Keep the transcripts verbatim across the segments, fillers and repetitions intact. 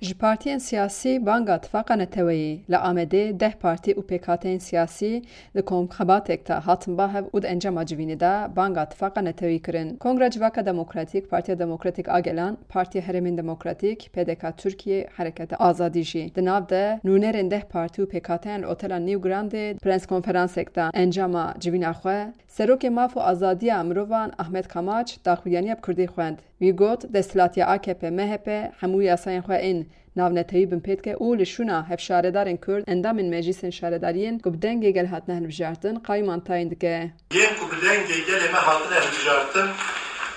Ji partiyên siyasî banga tifaqa neteweyî. Li Amedê deh partî û pêkhateyên siyasî di komxebatek de hatin ba hev û di encama civînê de banga tifaqa neteweyî kirin. Kongra Civaka Demokratîk, Partiya Demokratîk a Gelan, Partiya Herêmên Demokratîk, P D K Tirkiye, Hereketa Azadî jî. Di nav de nûnerên deh partî û pêkhateyan li Otela New Grande di prens konferansek de encama civîna xwe Serokê Maf û Azadiya Mirovan Ahmet Kamaç daxuyaniya bi kurdî xwend. Wî got, desthilatiya A K P M H P hemû yasayên xwe ên navnetewî binpê dike û li şûna hevşaredarên kurd, endamên meclîsên şaredariyên ku bi dengê gel hatine hilbijartin, qayûman tayîn dike. Yên ku bi dengê gelê me hatine hilbijartin,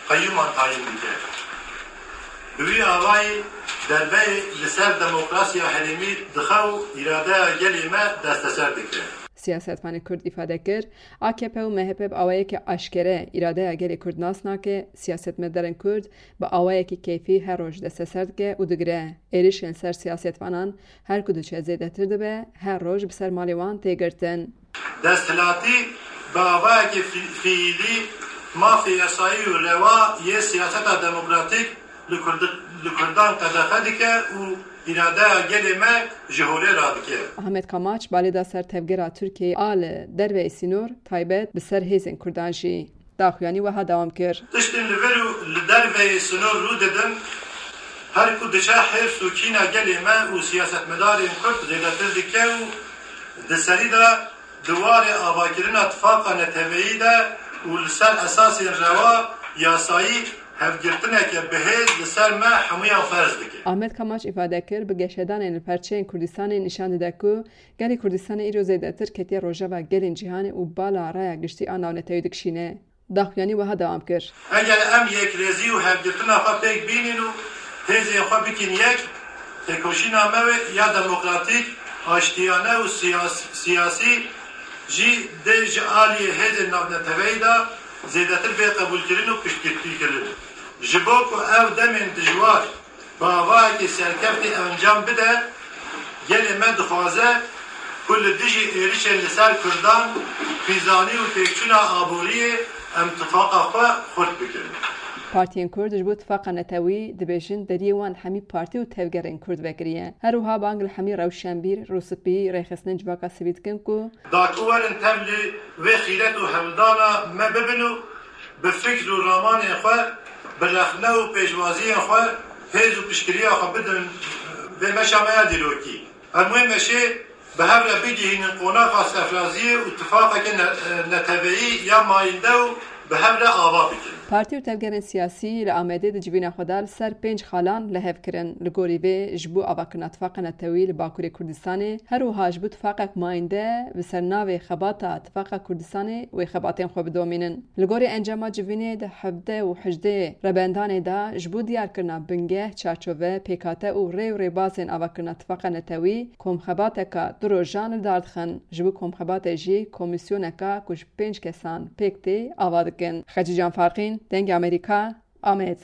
qayûman tayîn dike. Bi wî awayî derbeyê li ser demokrasiya herêmî dixe û îradeya gelê me desteser dike. Siyasetvanê Kurd îfade kir, A K P û M H P bi awayekî aşkere îradeya gelê Kurd nas nake, siyasetmedarên Kurd bi awayekî keyfî her roj desteser dike û digire. Êrişên ser siyasetvanan her ku diçe zêdetir dibe, her roj bi ser malê wan tê girtin. Desthilatî bi awayekî fî-, fiîlî mafê yasayî û rewa yê siyaseta demokratîk li Kurd-, li Kurdan qedexe dike û îradeya gelê me ji holê radike. Ahmet Kamaç balê da ser tevgera Tirkiyeyê a li derveyî sînor, taybet bi ser hêzên Kurdan jî. Daxuyanî wiha dewam kir. Tiştên li vir û li derveyî sînor rû didin, her ku diçe hêrs û kîna gelê me û siyasetmedarên Kurd zêdetir dike û di serî de di warê avakirina tifaqa neteweyî de û li ser esasên rewa, yasayî, hevgirtineke bi hêz li ser me hemûyan ferz dike. Ahmet Kamaç îfade kir, bi geşedanên li perçeyên Kurdistanê nîşan dide ku gelê Kurdistanê îro zêdetir ketiye rojeva gelên cîhanê û bala raya giştî a navnetewî dikişîne. Daxuyanî wiha dewam kir. Eger em yekrêzî û hevgirtina xwe pêk bînin û hêzên xwe bikin yek, têkoşîna me wê ya demokratîk, aştiyane û siyas-, siyasî jî dê ji aliyê hêzên navneteweyî de zêdetir bê qebûlkirin û piştgirtîkirin. Ji bo ku ev demên dijwar bi avayekî serkeftî encam bide, gelê me dixwaze ku li dijî êrişên li ser Kurdan, xîzanî û têkçûna aboriyê em tifaqa xwe xurt bikin. Partiyên Kurd ji bo tifaqa netewî dibêjin deriyê wan hemî partî û tevgerên Kurd vekiriye. Her wiha bang li hemî rewşenbîr, rûspî, rêxistinên civaka sivîl dikin ku Daku werin tev li vê xîret û hewldana me bibin û bi fikr û ramanên xwe, bi rexne û pêşwaziyên xwe hêz û piştgiriya xwe bidin vê meşa me ya dîrokî. Em wê meşê bi hev re bigihînin qonaxa serfiraziyê û tifaqeke ne-, neteweyî ya mayînde û bi hev re ava bikin. Partî û tevgerên siyasî li Amedê di civîna xwe de li ser pênc xalan li hev kirin. Li gorî vê, ji bo avakirina tifaqa netewî li Bakurê Kurdistanê, her wiha ji bo tifaqek mayînde bi ser navê Xebata Tifaqa Kurdistanê wê xebatên xwe bidomînin. Li gorî encama civînê di hevdeh û hejdeh rebendanê de ji bo diyarkirina bingeh, çarçove, pêkhate û rê û rêbazên avakirina tifaqa netewî komxebateka du rojan li dar dixin. Ji bo komxebatê jî komîsyoneka ku ji pênc kesan pêk tê ava dikin. Xecîcan Farqîn, Dengê Amerîka, Amed.